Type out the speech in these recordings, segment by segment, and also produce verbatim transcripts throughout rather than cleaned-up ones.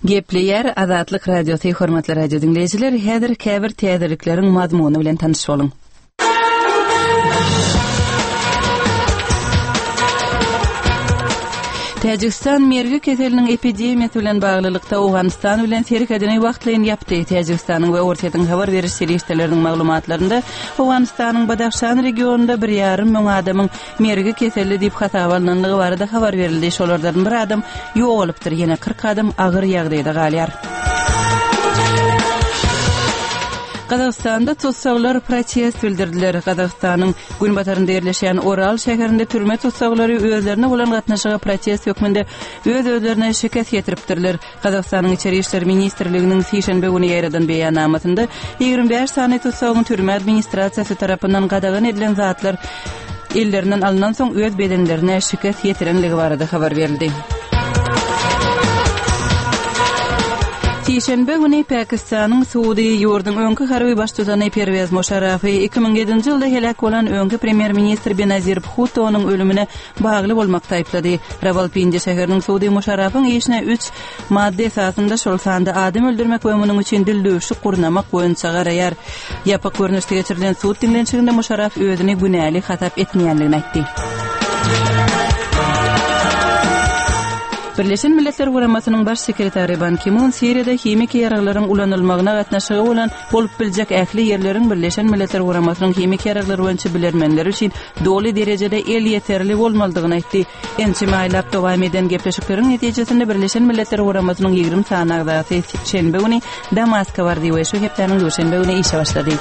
Gepleýär Azatlyk Radiosy hormatly radio diňleýjiler, häzir käbir täzelikleriň mazmuny bilen tanyş boluň. Täjigistan mergi keseliniň epidemiýasy bilen baglylykda Owganystan bilen serhedini wagtlaýyn ýapdy. Täjigistanyň we Orsýetiň habar beriş serişdeleriniň maglumatlarynda Owganystanyň Badahşan regionynda bir ýarym müň adamyň mergi keselli diýip hasaba alnandygy barada habar berildi. Şolardan bir adam ýogalypdyr, ýene kyrk adam agyr ýagdaýda galýar. Gazagystanda tussaglar protest bildirdiler. Gazagystanyň günbatarynda ýerleşýän Oral şäherinde türme tussaglary özlerine bolan gatnaşyga protest hökmünde öz-özlerine şikes ýetiripdirler. Gazagystanyň Içeri işler ministrliginiň sişenbe güni ýaýradan beýannamasynda ýigrimi bäş sany tussagyň türme administrasiýasy tarapyndan gadagan edilen zatlar ellerinden alnan soň öz bedenlerine şikes ýetirenligi barada habar berildi. Sişenbe güni Pakistanyň sudy ýurduň öňki harby baştutany Perwez Muşarrafy iki müň ýedinji ýylda heläk bolan öňki premýer-ministr Benazir Bhuttonyň ölümine bagly bolmakda aýyplady. Rawalpindi şäheriniň sudy Muşarrafyň işine üç madda esasynda, şol sanda adam öldürmek we munuň üçin dildüwşük gurnamak boýunça garaýar. Ýapyk görnüşde geçirilen sud diňlenişiginde Muşarraf özüni günäli hasap etmeýändigini aýtdy. Birleşen Milletler Guramasynyň baş sekretary Ban Ki-mun Siriýada himiki ýaraglaryň ulanylmagyna gatnaşygy bolan bolup biljek ähli ýerleriň Birleşen Milletler Guramasynyň himiki ýaraglar boýunça bilermenleri üçin doly derejede elýeterli bolmalydygyny aýtdy. Ençeme aýlap dowam eden gepleşikleriň netijesinde Birleşen Milletler Guramasynyň ýigrimi sany agzasy şenbe güni Damaska bardy we şu hepdäniň duşenbe güni işe başlady.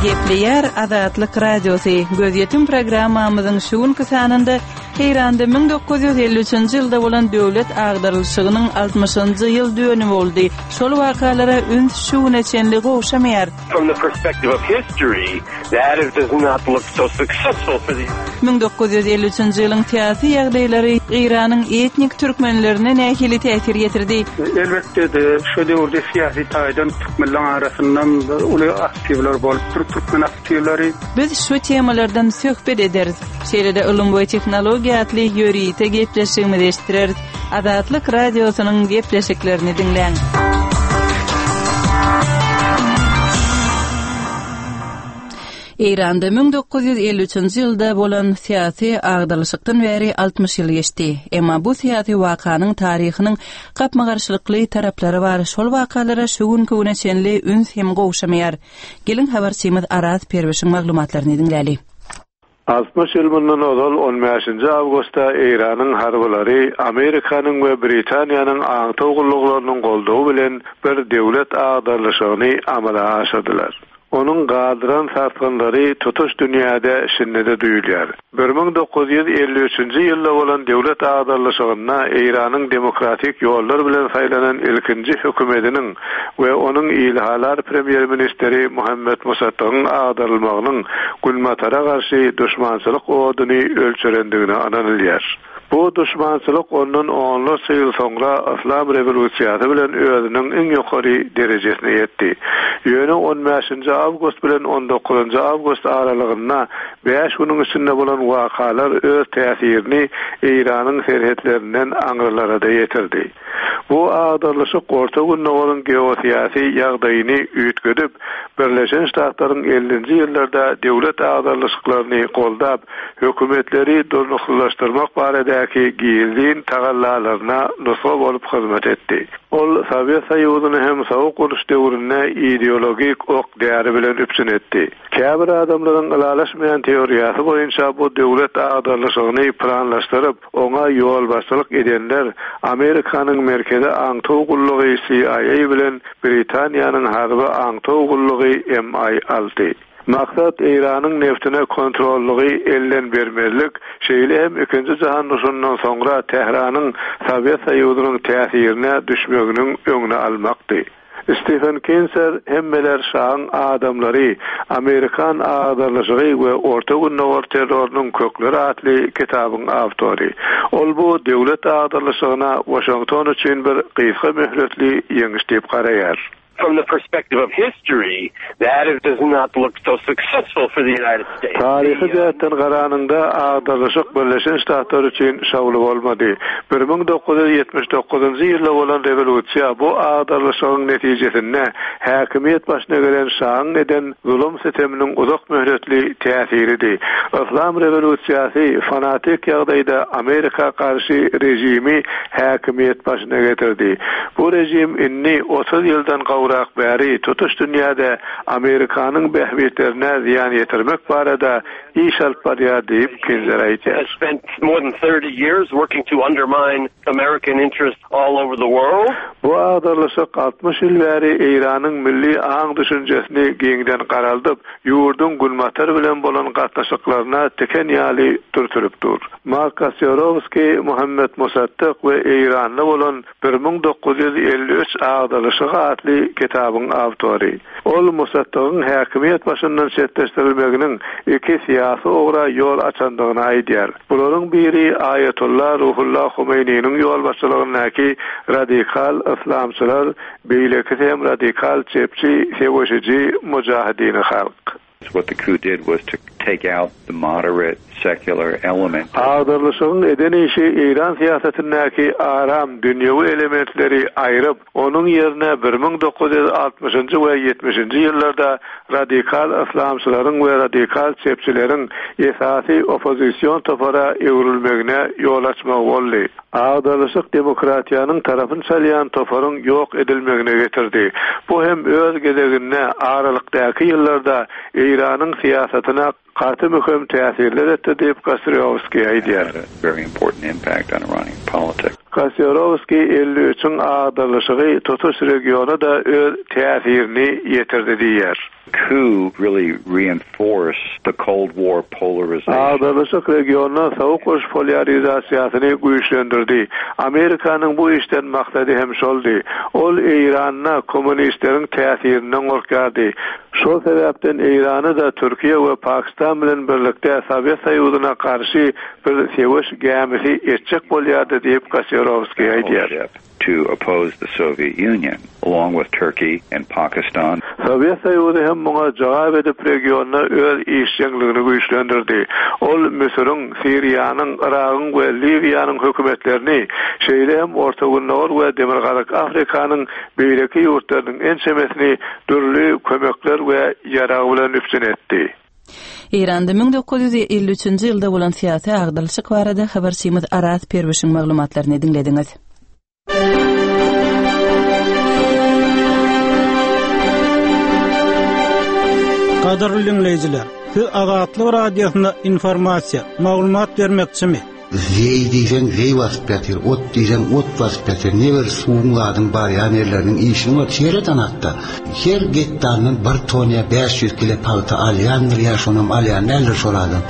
Gepleýär Azatlyk Radiosy. Gözýetim programmamyzyň şu günki sanynda Eýranda müň dokuz ýüz elli üçünji ýylda bolan döwlet agdarylyşygynyň altmyşynjy ýyl dönümi boldy. Şol wakalara üns şu güne çenli gowşamaýar. From the perspective of history, that is does not look so successful for the Müň dokuz ýüz elli üçünji ýylyň syýasy ýagdaýlary Eýranyň etnik türkmenlerine nähili täsir ýetirdi? Elbetde-de, şu döwürde syýasy taýdan türkmenleriň arasyndan uly aktiwler bolupdyr, türkmen aktiwleri. Biz şu temalardan söhbet ederis. Şeýle-de ylym we tehnologiýa atly ýörite gepleşigimizi eşitdireris. Azatlyk radiosynyň gepleşiklerini diňläň. Eýranda müň dokuz ýüz elli üçünji ýylda bolan syýasy agdarylyşykdan bäri altmyş ýyl geçdi. Emma bu syýasy wakanyň taryhynyň gapma-garşylykly taraplary bar. Şol wakalara şu günki güne çenli üns hem gowşamaýar. Gelin habarçymyz Araz Perwişiň maglumatlaryny diňläli. Altmyş ýyl mundan ozal on bäşinji awgustda Eýranyň harbylary Amerikanyň we Britaniýanyň aňtaw gulluklarynyň goldawy bilen bir döwlet agdarylyşygyny amala aşyrdylar. Onuň galdyran sarsgynlary tutuş dünýäde şindede duýulýar. bir müň dokuz ýüz elli üçünji ýylda bolan döwlet agdarylyşygynda Eýranyň demokratik ýollar bilen saýlanan ilkinji hökümetiniň we onuň ilhalar premýer-ministri Muhammed Musaddygyň agdarylmagynyň Günbatara garşy düşmançylyk oduny ölçerendigine ynanylýar. Bu düşmançylyk ondan onlarça ýyl soňra Islam rewolýusiýasy bilen özüniň iň ýokary derejesine ýetdi. Ýöne on bäşinji awgust bilen on dokuzynjy awgust aralygynda bäş günüň içinde bolan wakalar öz täsirini Eýranyň serhetlerinden aňrylara da ýetirdi. Bu agdarylyşyk Orta Gündogaryň geosyýasy ýagdaýyny üýtgedip, Birleşen Ştatlaryň ellinji ýyllarda döwlet agdarylyşyklaryny goldap, hökümetleri durnuklylaşdyrmak baradaky gizlin tagallalaryna nusga bolup hyzmat etdi. Ol Sowet Soýuzyny hem soğuk uruş döwründe ideologik ok däri bilen üpjün etdi. Käbir adamlaryň ylalaşmaýan teoriýasy boýunça bu döwlet agdarylyşygyny planlaşdyryp, oňa ýolbaşçylyk edenler Amerikanyň Merkezi Aňtaw gullugy C I A bilen Britaniýanyň Harby Aňtaw gullugy M I alty. Maksat Eýranyň neftine kontrollygy elden bermezlik, şeýle hem ikinji jahan urşundan soňra Tähranyň Sowet Soýuzynyň täsirine düşmeginiň öňüni almakdy. Stephen Kinzer Hemmeler şaň adamlary, Amerikan agdarlyşygy we Orta Gündogar terrorynyň kökleri atly kitabyň awtory. Ol bu döwlet agdarlyşygyna Washington üçin bir gysga möhletli ýeňiş diýip garaýar. From the perspective of history, that does not look so successful for the United States. Taryhy jähtden garanyňda agdarlyşyk Birleşen Ştatlar üçin şowly bolmady. Bir müň dokuz ýüz ýetmiş dokuzynjy ýylda bolan rewolýusiýa bu agdarlyşygyň netijesinde häkimiýet başyna gelen şahyň eden zulum-süteminiň uzak möhletli täsiridi. Yslam rewolýusiýasy fanatik ýagdaýda Amerika garşy režimi häkimiýet başyna getirdi. Bu režim indi otuz ýyldan gowrak bäri tutuş dünýäde Amerikanyň bähbitlerine zyýan ýetirmek barada iş alyp barýar diýip, Kinzer aýdýar. Has spent more than thirty years working to undermine American interests all over the world. Bu agdarlyşyk altmyş ýyl bäri Eýranyň milli aň-düşünjesini giňden garaldyp, ýurduň Günbatar bilen bolan gatnaşyklaryna tiken ýaly dürtülip dur. Mark Kasiorowskiý Muhammet Musaddyk we Eýranda bolan bir müň dokuz ýüz elli üç agdarlyşygy atly kitabyň awtory. Ol Musaddygyň häkimiýet başyndan çetleşdirilmeginiň iki syýasy ugra ýol açandygyny aýdýar. Bularyň biri Aýatolla Ruhulla Homeýniniň ýolbaşçylygyndaky radikal yslamçylar, beýlekisi hem radikal çepçi söweşiji Mujahidini halk. What the coup did was to take out the moderate secular element. Agdarlyşygyň eden işi Eýran syýasatyndaky aram dünýewi elementleri aýryp, onuň ýerine bir müň dokuz ýüz altmyşynjy we ýetmişinji ýyllarda radikal yslamçylaryň we radikal çepçileriň esasy oppozision topara öwrülmegine ýol açmagy boldy. Agdarlyşyk demokratiýanyň tarapyny çalýan toparyň ýok edilmegine getirdi. Bu hem öz gezeginde aralykdaky ýyllarda Eýranyň syýasatyna gaty möhüm täsirler etdi diýip Kasiorowskiý aýdýar. Very important impact on Iranian politics. Kasiorowskiý elli üçüň agdarlyşygy tutuş regiona-da öz täsirini ýetirdi diýýär. Coup really reinforced the Cold War polarization. Agdarlyşyk regionda sowuk uruş polýarizasiýasyny güýçlendirdi. Amerikanyň bu işden maksady hem şoldy. Ol Eýranda kommunistleriň täsirinden gorkýardy. Şol sebäpden Eýrany-da Türkiýe we Pakistan bilen birlikde Sowet Soýuzyna garşy bir söweş gämisi etjek bolýardy diýip Kasiorowskiý aýdýar. To oppose the Soviet Union, along with Turkey and Pakistan. Sowet Soýuzy hem muňa jogap edip regionda öz işjeňligini güýçlendirdi. Ol Müsüriň, Siriýanyň, Yragyň we Liwiýanyň hökümetlerini, şeýle hem Orta Gündogar we Demirgazyk Afrikanyň beýleki ýurtlarynyň ençemesini dürli kömekler we ýarag bilen üpjün etdi. Eýranda müň dokuz ýüz elli üçünji ýylda bolan syýasy agdarlyşyk barada habarçymyz Araz Perwişiň maglumatlaryny diňlediňiz. Gadyrly dinleýjiler, siz Azatlyk Radiosyna informasiýa, maglumat bermekçimi? Zeý diýseň zeý basyp ýatyr, ot diýseň ot basyp ýatyr. Ne bir suwuň zadyň barýan ýerleriniň işini bar, şeýle tanatda. Her gektardan bir ton ýa bäş ýüz kilo pagta alýandyr ýa şonam alýan däldir şol adam.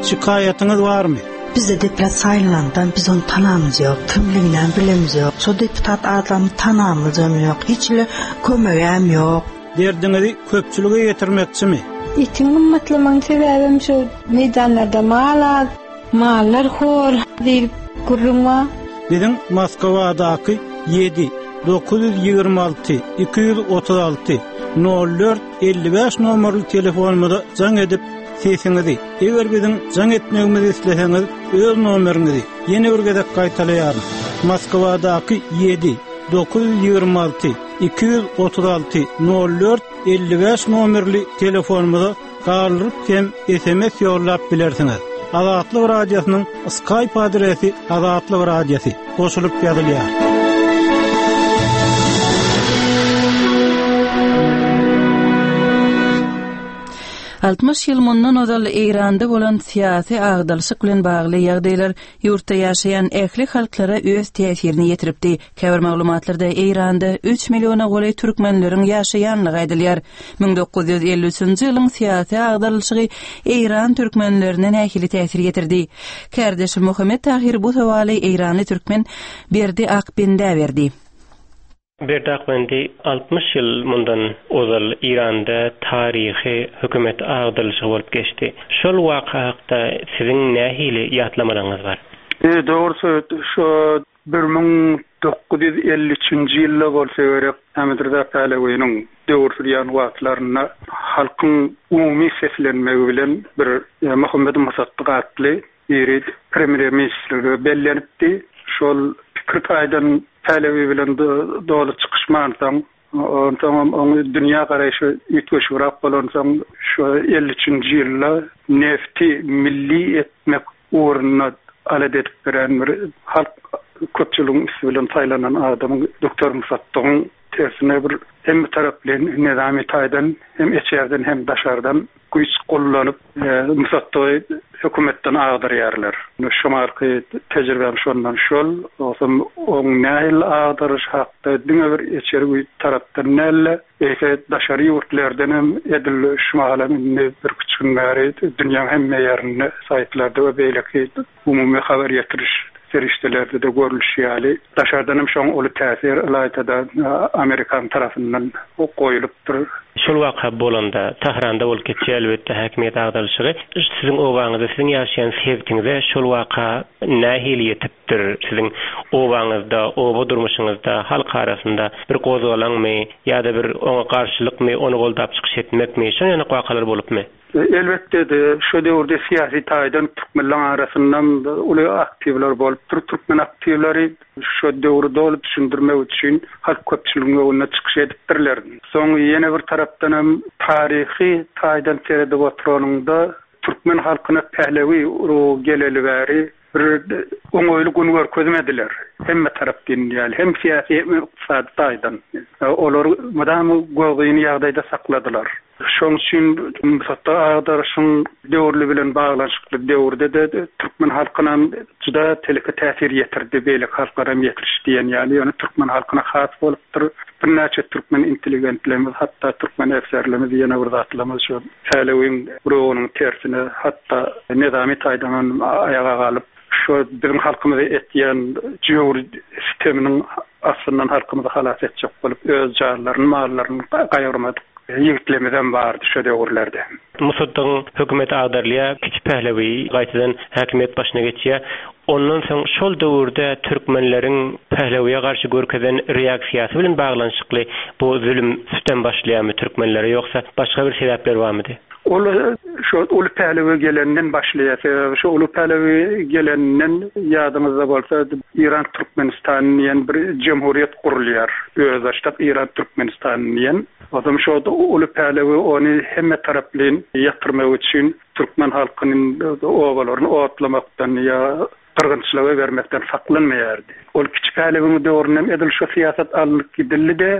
Şikaýatyňyz barmy? Bizde deputat saýlandan biz onu tanamyz ýok, kimliginden bilemiz ýok. Şo deputat adamy tanamyzam ýok, hiç ile kömegem ýok. Derdiňizi köpçülige ýetirmekçimi? Itiň gymmatlamagyň sebäbim şu meýdanlarda mal az, mallar hor diýip gürrüň bar. Biziň Moskwadaky ýedi, dokuz ýüz ýigrimi alty, iki ýüz otuz alty, nol dört, elli bäş nomerli telefonumyza jaň edip sesiňizi, eger biziň jaň etmegimizi isleseňiz, öz nomeriňizi ýene bir gezek gaýtalaýaryn. Moskwadaky ýedi, dokuz ýüz ýigrimi alty, iki ýüz otuz alty, nol dört, elli bäş nomerli telefonumyza galdyryp hem S M S ýollap bilersiňiz. Azatlyk Radiosynyň Skype adresi Azatlyk Radiosy goşulyp ýazylýar. Altmyş ýyl mundan ozal Eýranda bolan syýasy agdalyşyk bilen bagly ýagdaýlar ýurtda ýaşaýan ähli halklara öz täsirini ýetiripdi. Käbir maglumatlarda Eýranda üç milliona golaý türkmenleriň ýaşaýanlygy aýdylýar. Müň dokuz ýüz elli üçünji ýylyň syýasy agdalyşygy Eýran türkmenlerine nähili täsir ýetirdi? Kärdeşim Muhammet Tahir bu sowaly Eýranly türkmen Berdi Akbendä berdi. Berdi Akbendi, altmyş ýyl mundan ozal Eýranda taryhy hökümet agdarylyşygy bolup geçdi. Şol waka hakda siziň nähili ýatlamalaryňyz bar? Dogrusy, şo bir müň dokuz ýüz elli üçünji ýylda bolsa gerek, Ahmet Rza Pälewiniň döwür sürýän wagtlarynda halkyň umumy seslenmegi bilen bir Muhammet Musaddyk atly biri premýer-ministrlige bellenipdi. Şol pikir taýdan Pälewi bilen doly çykyşmansoň, onsoňam oň dünýä garaýşy üýtgeşigräk bolansoň, şu elli üçünji ýylda nefti milli etmek ugrunda alada edip beren bir halk köpçüligiň üsti bilen saýlanan adamyň doktor Musaddygyň tersine bir hemme taraplaýyn nyzamy taýdan hem içerden hem daşardan güýç gollanyp Musaddygy hökümetden agdarýarlar. Şu marky tejribem şondan şol, ogsam oň nähili agdaryş hakda diňe bir içeri güýç tarapdan däl-de, eýse daşary ýurtlardan hem edil şu mahalam indi birküç gün bäri dünýäň hemme ýerinde saýtlarda we beýleki umumy habar ýetiriş serişdelerde-de görlüşi ýaly, daşardan hem şoň uly täsir ylaýta-da Amerikan tarapyndan goýlupdyr. Şol waka bolanda, Tähranda bolup geçýär elbetde häkimiýet agdarylyşygy. Siziň obaňyza, siziň ýaşaýan sebitiňize şol waka nähili ýetipdir? Siziň obaňyzda, oba durmuşyňyzda, halk arasynda bir gozgalaňmy ýa-da bir oňa garşylykmy, ony goldap çykyş etmekmi, şonuň ýaly wakalar bolupmy? Elbetde-de, şo döwürde syýasy taýdan türkmenleň arasyndan uly aktiwler bolupdyr. Türkmen aktiwleri şo döwri doly düşündirmek üçin halk köpçüliginiň öňünde çykyş edipdirler. Soň ýene bir tarapdan hem taryhy taýdan seredip oturanyňda türkmen halkyna Pählewi urugy geleli bäri bir oňaýly gün görkezmediler. Hemme tarap diýen ýaly, hem syýasy hem ykdysady taýdan. Olary mydama gözgyny ýagdaýda sakladylar. Şonuň üçin Musatda agdaryşyň döwürli bilen baglanyşykly döwürde-de türkmen halkyna juda teleke täsir ýetirdi, beýleki halklara hem ýetiriş diýen ýaly, ýöne türkmen halkyna has bolupdyr. Birnäçe türkmen intelligentlerimiz, hatda türkmen efserlerimiz, ýene bir zatlarymyz şu Pälewiň ruhunyň tersine, hatda nizami taýdan hem aýaga galyp, şu biziň halkymyzy etýän jöwür sisteminiň aslyndan halkymyzy halas etjek bolup, öz janlaryny, mallaryny gaýgyrmadyk ýigitlerimizem bardy şu döwürlerde. Musaddygyň hökümeti agdarylýar, Kiçi Pählewi gaýtadan häkimiýet başyna geçýär. Ondan soň şol döwürde türkmenleriň Pählewiýe garşy görkezen reaksiýasy bilen baglanyşykly bu zulum sütem başlaýarmy türkmenlere, ýogsa başga bir sebäpler barmydy? Ol şo uly Pählewi gelenden başlaýar. Sebäbi şo uly Pählewi gelenden ýadyňyzda bolsa Iran Türkmenistan diýen bir jemhuriýet gurulýar. Özbaşdak Iran Türkmenistan diýen. Onsoň şo uly Pählewi ony hemme taraplaýyn ýatyrmak üçin türkmen halkynyň obalaryny otlamakdan ýa gyrgynçylyga bermekden saklanmaýardy. Ol Kiçi Pählewiň döwründen edil şu syýasat alnyp gidildi-de,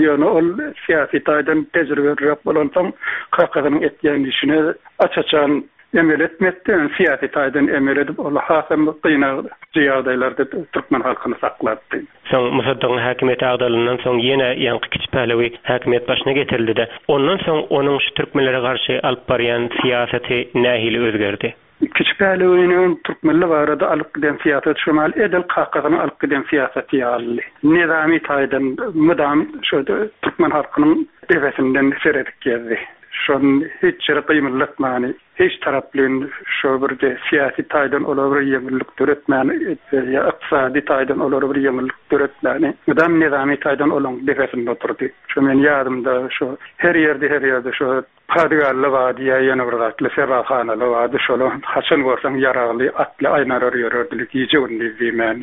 ýöne ol syýasy taýdan tejribeliräk bolansoň kakasynyň etýän işine aç-açan emel etmekdi, ýöne syýasy taýdan emel edip, ol hasam gynagyjy ýagdaýlarda türkmen halkyny saklapdy. Soň Musaddygyň häkimiýeti agdarylandan soň ýene ýaňky Kiçi Pählewi häkimiýet başyna getirildi-de, ondan soň onuň şu türkmenlere garşy alyp barýan syýasaty nähili özgerdi? Kiçi Pählewiniň türkmenler barada alyp giden syýasaty şu mahal edil kakasynyň alyp giden syýasaty ýaly. Nizami taýdan mydam şu türkmen halkynyň depesinden seredip gezdi. Şony hiç ýere gymyldatmany, hiç taraplaýyn şo bir syýasy taýdan olara bir ýeňillik döretmäni, ýa ykdysady taýdan olara bir ýeňillik döretmäni, mydam nizami taýdan olaň depesinde oturdy. Şo men ýadymda şo her ýerde, her ýerde şo Padigally bardy, ýa ýene bir zatly, sebahanaly bardy, şolar haçan görseň ýaragly, atly aýnalar ýörerdiler, gije-gündiz diýmän.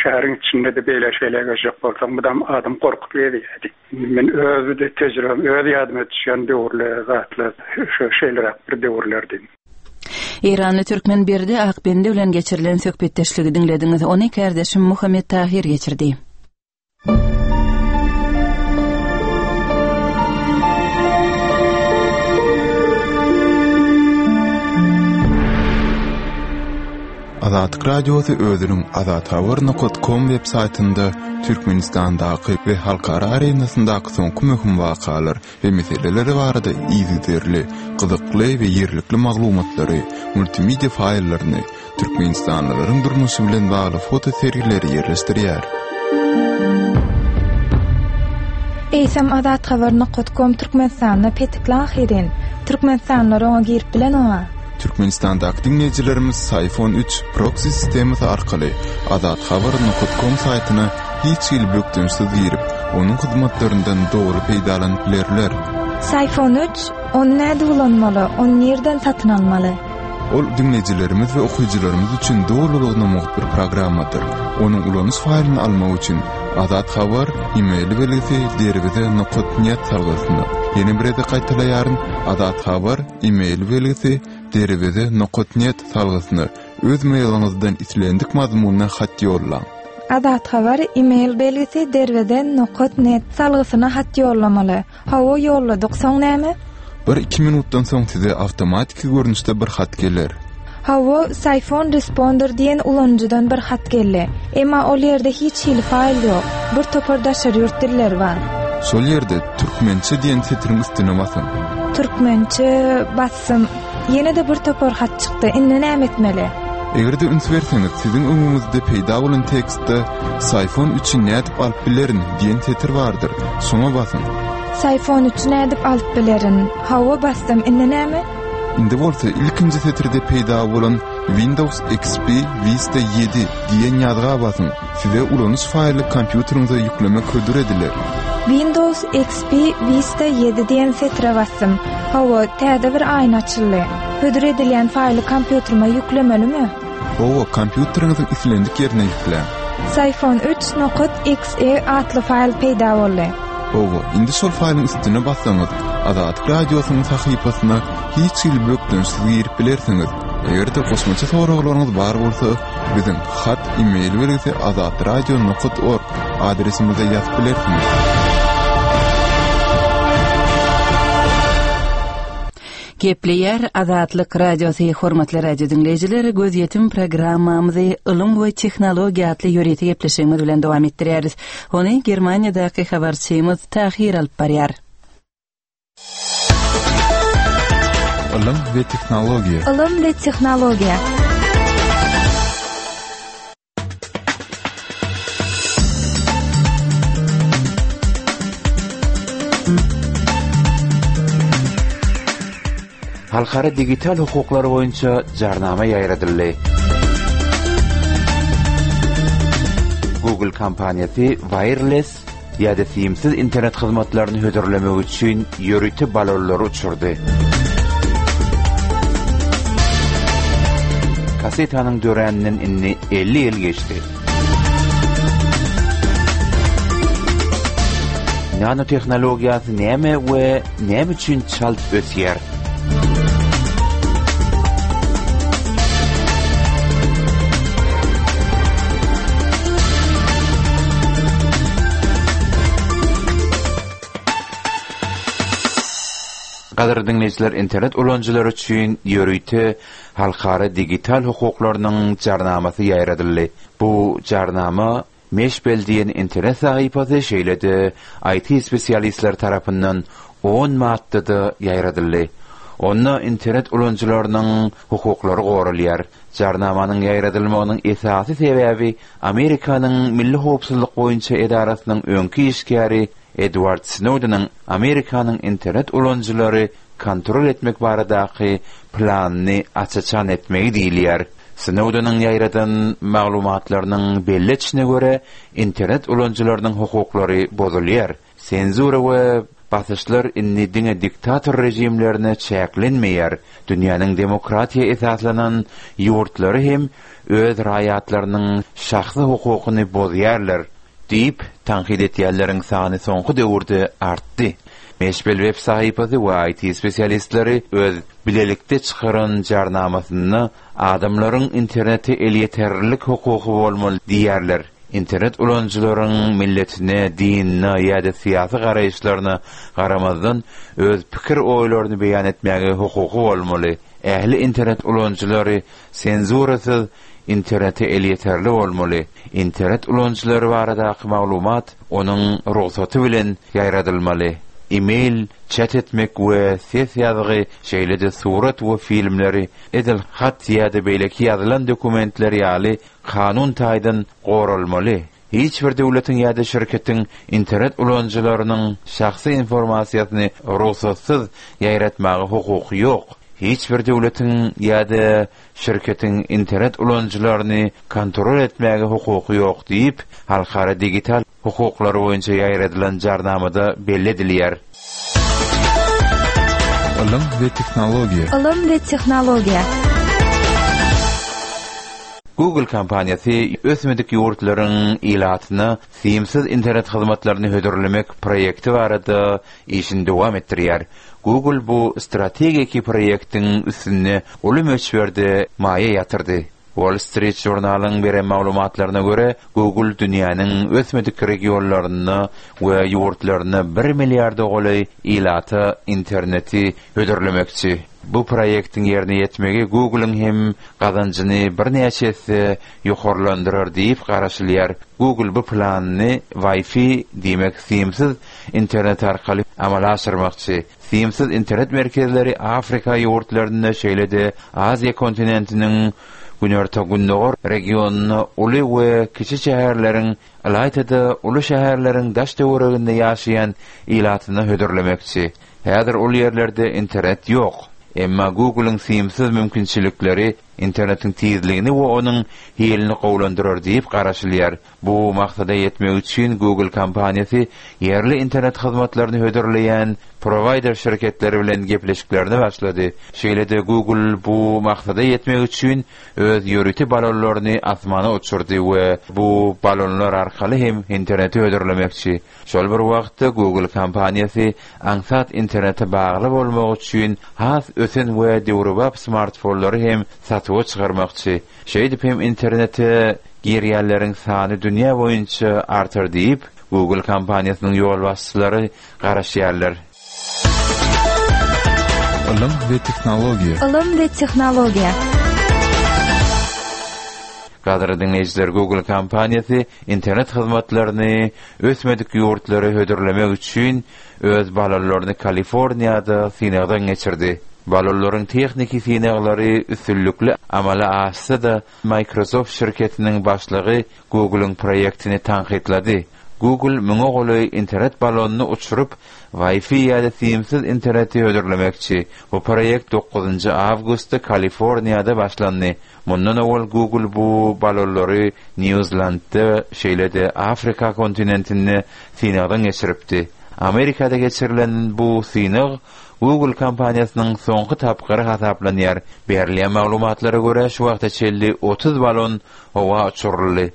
Şäheriň içinde-de beýle şeýle gezjek bolsaň, mydam adam gorkup gezýärdi. Men öz tejribem, öz ýadyma düşýän döwürler, zatlar şo şeýleräk bir döwürlerdi. Eýranly türkmen Berdi Akbendi bilen geçirilen söhbetdeşligi diňlediňiz. Ony kärdeşim Muhammet Tahir geçirdi. Azatlyk Radiosy özüniň azathabar nokat kom web saýtynda Türkmenistandaky we halkara arenasyndaky soňky möhüm wakalar we meseleler barada yzygiderli, gyzykly we ýerlikli maglumatlary, multimedia faýllaryny, türkmenistanlylaryň durmuşy bilen bagly foto sergileri ýerleşdirýär. Eýsem Azathabar nokat kom Türkmenistanda petikli ahyryn. Türkmenistanlylar oňa girip bilenoga. Türkmenistandaky diňleýjilerimiz Syfon üç proksi sistemasy arkaly Azathabar nokat kom saýtyna hiç hili bökdençsiz girip, onuň hyzmatlaryndan doly peýdalanyp bilerler. Syfon üç, ony nädip ulanmaly, ony nirden satyn almaly? Ol diňleýjilerimiz we okyjylarymyz üçin dolulygyna mugt bir programmadyr. Onuň ulanyş faýlyny almak üçin Azat Habar e-mail belgisi derweze nokat net salgysyna. Ýene bir gezek gaýtalaýaryn, Azat Habar e-mail belgisi derweze nokat net salgysyna öz mailiňizden islendik mazmunda hat ýollaň. Azat Habar e-mail belgisi derweze nokat net salgysyna hat ýollamaly. Hawa ýolladyk, soň näme? Bir iki minutdan soň size awtomatiki görnüşde bir hat geler. Hawa, Syfon Responder diýen ulanyjydan bir hat geldi. Emma ol ýerde hiç hili faýl ýok. Bir topar daşary ýurt dilleri bar. Şol ýerde türkmençe diýen setiriň üstüne basyň. Türkmençe basdym. Ýene-de bir topar hat çykdy. Indi näme etmeli? Eger-de üns berseňiz, siziň öňüňizde peýda bolan tekstde Syfon üçi nädip alyp bilerin diýen setir bardyr. Şoňa basyň. Syfon üçi nädip alyp bilerin? Hawa basdym. Indi näme? Indi bolsa ilkinji setirde peýda bolan Windows X P Vista ýedi diýen ýazga basyň. Size ulanyş faýly kompýuteriňize ýüklemek hödür ediler. Windows X P Vista ýedi diýen setire basdym. Hawa, täze bir aýna açyldy. Hödür edilýän faýly kompýuterime ýüklemelimi? Hawa, kompýuteriňiziň islendik ýerine ýükläň. Syfon üç nokat X E atly faýl peýda boldy. Hawa, indi şol faýlyň üstüne bassaňyz, Azatlyk Radiosynyň sahypasyna hiç hili bökdençsiz girip bilersiňiz. Eger-de goşmaça soraglaryňyz bar bolsa, biziň hat e-mail belgisi azatradio nokat org adresimize ýazyp bilersiňiz. Gepleýär Azatlyk Radiosy, hormatly radio diňleýjiler, gözýetim programmamyzy ylym we tehnologiýa atly ýörite gepleşigimiz bilen dowam etdirýäris. Ony Germaniýadaky habarçymyz Tahir alyp barýar. Ylym we tehnologiýa. Ylym we tehnologiýa. Halkara digital hukuklary boýunça jarnama ýaýradyldy. Google kompaniýasy wireless ýa-da simsiz internet hyzmatlaryny hödürlemek üçin ýörite balonlary uçurdy. Kasetanyň döräninden indi elli ýyl geçdi. Nanotehnologiýasy näme we näme üçin çalt ösýär? Gadyrly diňleýjiler, internet ulanyjylary üçin ýörite halkara digital hukuklarynyň jarnamasy ýaýradyldy. Bu jarnama Meşbel diýen internet sahypasy şeýle-de I T spesialistleri tarapyndan on maddada ýaýradyldy. Onda internet ulanyjylarynyň hukuklary goralýar. Jarnamanyň ýaýradylmagynyň esasy sebäbi Amerikanyň Milli Howpsuzlyk boýunça edarasynyň öňki işgäri Edward Snowden'ın Amerikanyň internet ulanyjylary kontrol etmek baradaky planyny açaçan etmegi diýilýär. Snowden'ın ýaýradan maglumatlarynyň belli etişine görä internet ulanyjylarynyň hukuklary bozulýar. Senzura we basyşlar indi diňe diktator rejimlerine çäklenmeýär. Dünýäniň demokratiýa esaslanan ýurtlary hem öz raýatlarynyň şahsy hukukyny bozýarlar diýip tanqid etýänleriň sany soňky döwürde artdy. Meşbel web sahypasy we I T spesialistleri öz bilelikde çykaran jarnamasynda adamlaryň internete elýeterlilik hukuky bolmaly diýerler. Internet ulanyjylaryň milletine, dinine ýa-da syýasy garaýyşlaryna garamazdan öz pikir oýlaryny beýan etmäge hukuky bolmaly. Ähli internet ulanyjylary senzurasyz internete elýeterli bolmaly. Internet ulanyjylary baradaky maglumat onuň rugsaty bilen ýaýradylmaly. E-mail, chat etmek we ses ýazgy, şeýle-de surat we filmleri edil hat ýa-da beýleki ýazylan dokumentler ýaly kanun taýdan goralmaly. Hiç bir döwletiň ýa-da şirketiň internet ulanyjylarynyň şahsy informasiýasyny rugsatsyz ýaýratmaga hukuky ýok. Hiç bir döwletiň ýa-da şirketiň internet ulanyjylaryny kontrol etmäge hukuky ýok diýip, halkara digital hukuklary boýunça ýaýradylan jarnamada belli edilýär. Ylym we tehnologiýa. Ylym we tehnologiýa. Google kompaniýasy ösmedik ýurtlaryň ilatyna simsiz internet hyzmatlaryny hödürlemek proýekti barada işini dowam etdirýär. Google bu strategiki proýektiň üstünde uly möçberde maýa ýatyrdy. Wall Street Journalyň beren maglumatlaryna görä, Google dünýäniň ösmedik regionlarynda we ýurtlarynda bir milliarda golaý ilata interneti hödürlemekçi. Bu proýektiň ýerine ýetmegi Google'yň hem gazanjyny birnäçe esse ýokarlandyrar diýip garaşylýar. Google bu planyny Wi-Fi diýmek simsiz internet arkaly amala aşyrmakçy. Simsiz internet merkezleri Afrika ýurtlarynda, şeýle-de Aziýa kontinentiniň günorta-gündogar regionynda uly we kiçi şäherleriň, ylaýta-da uly şäherleriň daş töwereginde ýaşaýan ilatyna hödürlemekçi. Häzir ol ýerlerde internet ýok. Emma Google'yň simsiz mümkinçilikleri internetiň tizligini we onuň hilini gowulandyrar diýip garaşylýar. Bu maksada ýetmek üçin Google kompaniýasy ýerli internet hyzmatlaryny hödürleýän prowaýder şirketleri bilen gepleşiklerini başlady. Şeýle-de Google bu maksada ýetmek üçin öz ýörite balonlaryny asmana uçurdy we bu balonlar arkaly hem interneti hödürlemekçi. Şol bir wagtda Google kompaniýasy aňsat internete bagly bolmak üçin has ösen we döwrebap smartfonlary hem satuwa çykarmakçy. Şeýdip hem internete girýänleriň sany dünýä boýunça artar diýip, Google kompaniýasynyň ýolbaşçylary garaşýarlar. Ylym we tehnologiýa. Ylym we tehnologiýa. Gadyrly diňleýjiler, Google kompaniýasy internet hyzmatlaryny ösmedik ýurtlara hödürlemek üçin öz balonlaryny Kaliforniýada synagdan geçirdi. Balonlaryň tehniki synaglary üstünlikli amala aşsa-da, Microsoft şirketiniň başlygy Google'yň proýektini tankytlady. Google müňe golaý internet balonyny uçuryp, Wi-Fi ýa-da simsiz interneti hödürlemekçi. Bu proýekt dokuzynjy awgustda Kaliforniýada başlandy. Mundan owal Google bu balonlary Nýu-Zelandda, şeýle-de Afrika kontinentinde synagdan geçiripdi. Amerikada geçirilen bu synag Google kompaniýasynyň soňky tapgyry hasaplanýar. Berilýän maglumatlara görä, şu wagta çenli otuz balon howa uçuryldy.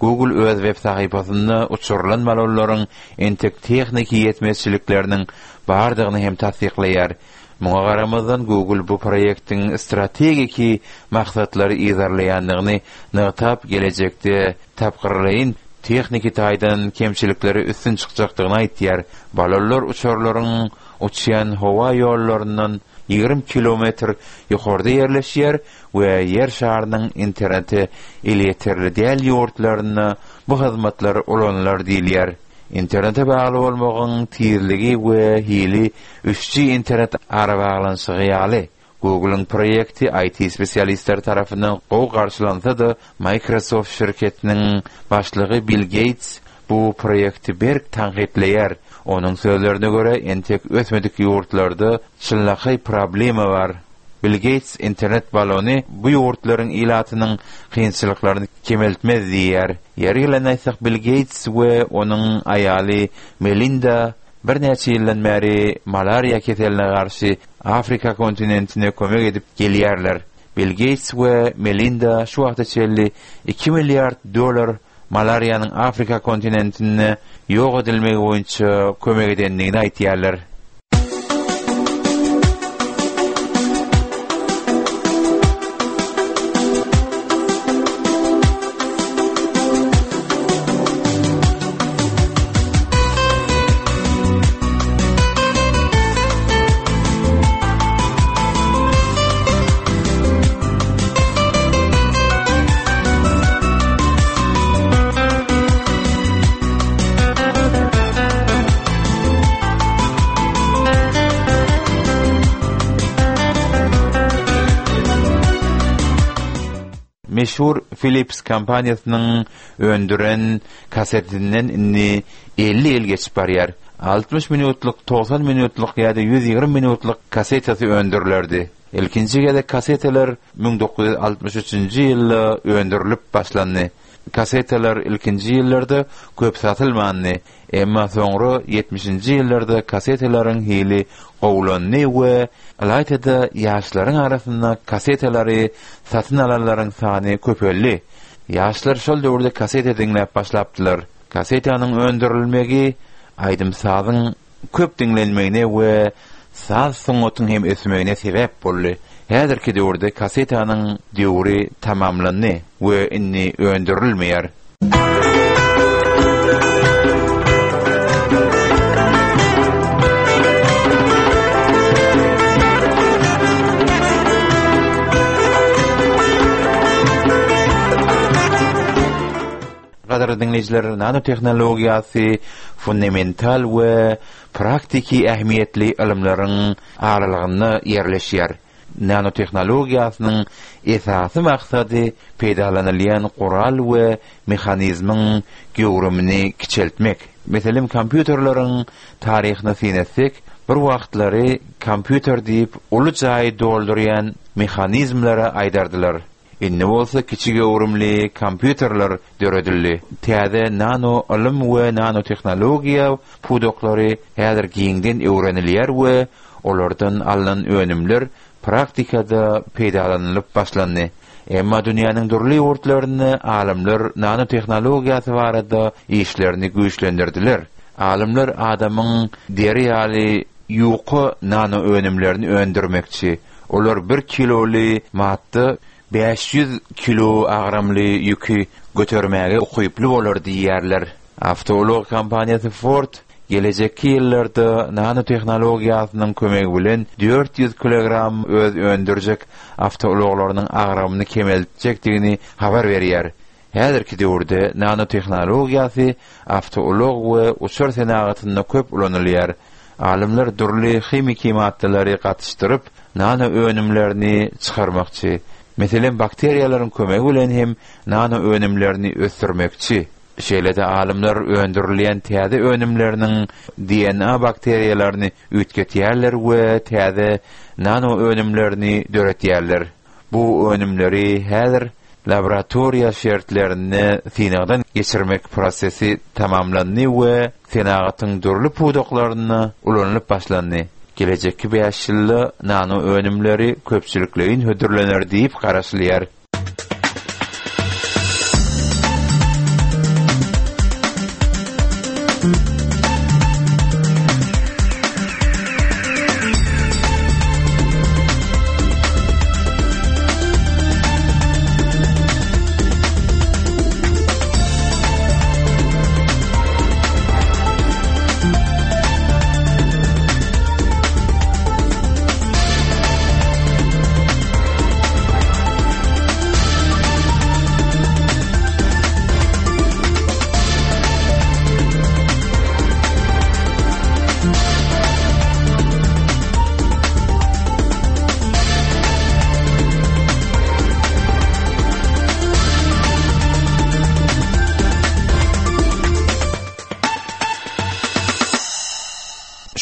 Google öz web sahypasynda uçurylan balonlaryň entek tehniki ýetmezçilikleriniň bardygyny hem tassyklaýar. Muňa garamazdan Google bu proýektiň strategiki maksatlary yzarlaýandygyny nygtap, gelejekde tapgyrlaýyn tehniki taýdan kemçilikleri üstün çykjakdygyny aýtýar. Balonlar uçarlaryň uçýan howa ýollaryndan ýigrimi kilometr ýokarda ýerleşýär we ýer şarynyň internete elýeterli däl ýurtlarynda bu hyzmatlar ulanylar diýilýär. Internete bagly bolmagyň tizligi we hili üç G internet arabaglanyşygy ýaly. Google'yň proýekti I T spesialistleri tarapyndan gowy garşylansa-da, Microsoft şirketiniň başlygy Bill Gates bu proýekti berk tankytlaýar. Onuň sözlerine görä, entek ösmedik ýurtlarda çynlakaý problema bar. Bill Gates internet balony bu ýurtlaryň ilatynyň kynçylyklaryny kemeltmez diýýär. Ýeri gelen aýtsak, Bill Gates we onuň aýaly Melinda birnäçe ýyldan bäri malariýa keseline garşy Afrika kontinentine kömek edip gelýärler. Bill Gates we Melinda şu wagta çenli iki milliard dollar malariýanyň Afrika kontinentinde ýok edilmegi boýunça kömek edendigini aýtýarlar. Meşhur Philips kompaniýasynyň öndüren kasetinden indi elli ýyl geçip barýar. Altmyş minutlyk, togsan minutlyk ýa-da ýüz ýigrimi minutlyk kasetasy öndürilerdi. Ilkinji gezek kasetalar müň dokuz ýüz altmyş üçünji ýylda öndürilip başlandy. Kasetalar ilkinji ýyllarda köp satylmandy. Emma soňra ýetmişinji ýyllarda kasetalaryň hili gowulandy we ylaýta-da ýaşlaryň arasynda kasetalary satyn alanlaryň sany köpeldi. Ýaşlar şol döwürde kaseta diňläp başlapdylar. Kasetanyň öndürilmegi aýdym-sazyň köp diňlenmegine we saz sungatyň hem ösmegine sebäp boldy. Häzirki döwürde kasetanyň döwri tamamlandy we indi öndürilmeýär. Gadyrly diňleýjiler, nanotehnologiýasy fundamental we praktiki ähmiýetli ylymlaryň aralygynda ýerleşýär. Nanotehnologiýasynyň esasy maksady peýdalanylýan gural we mehanizmiň göwrümini kiçeltmek. Meselem, kompýuterleriň taryhyna syn etsek, bir wagtlary kompýuter diýip uly jaýy doldurýan mehanizmlere aýdardylar. Indi bolsa kiçi göwrümli kompýuterler döredildi. Täze nano ylym we nanotehnologiýa pudaklary häzir giňden öwrenilýär we olardan alnan önümler praktikada peýdalanylyp başlandy. Emma dünýäniň dürli ýurtlarynda alymlar nanotehnologiýasy barada işlerini güýçlendirdiler. Alymlar adamyň deri ýaly ýuka nano önümlerini öndürmekçi. Olar bir kiloly madda bäş ýüz kilo agramly ýüki götermäge ukyply bolar diýýärler. Awtoulag kompaniýasy Ford gelejekki ýyllarda nanotehnologiýasynyň kömegi bilen dört ýüz kilogram öz öndürjek awtoulaglarynyň agramyny kemeltjekdigini habar berýär. Häzirki döwürde nanotehnologiýasy awtoulag we uçar senagatynda köp ulanylýar. Alymlar dürli himiki maddalary gatyşdyryp, nano önümlerini çykarmakçy. Meselem, bakteriýalaryň kömegi bilen hem nano önümlerini ösdürmekçi. Şeýle-de alymlar öndürilýän täze önümleriniň D N A bakteriýalaryny üýtgetýärler we täze nano önümlerini döretýärler. Bu önümleri häzir laboratoriýa şertlerinde synagdan geçirmek prosesi tamamlandy we senagatyň dürli pudaklarynda ulanylyp başlandy. Gelejekki bäş ýylda nano önümleri köpçülikleýin hödürlener diýip garaşylýar.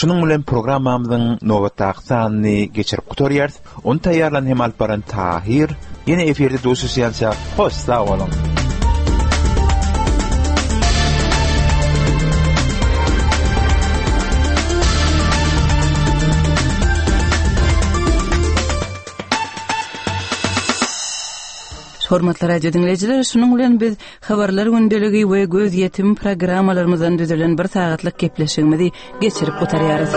Şunuň bilen programmamyzyň nobatdaky sanyny geçirip gutarýarys. Ony taýýarlan hem alyp baran Tahir. Ýene efirde duşuşýança hoş sag boluň. Hormatly radio dinleýjiler, şunuň bilen biz habarlar gündeligi we göz ýetim programmalarymyzdan düzülen bir sagatlyk gepleşigimizi geçirip gutarýarys.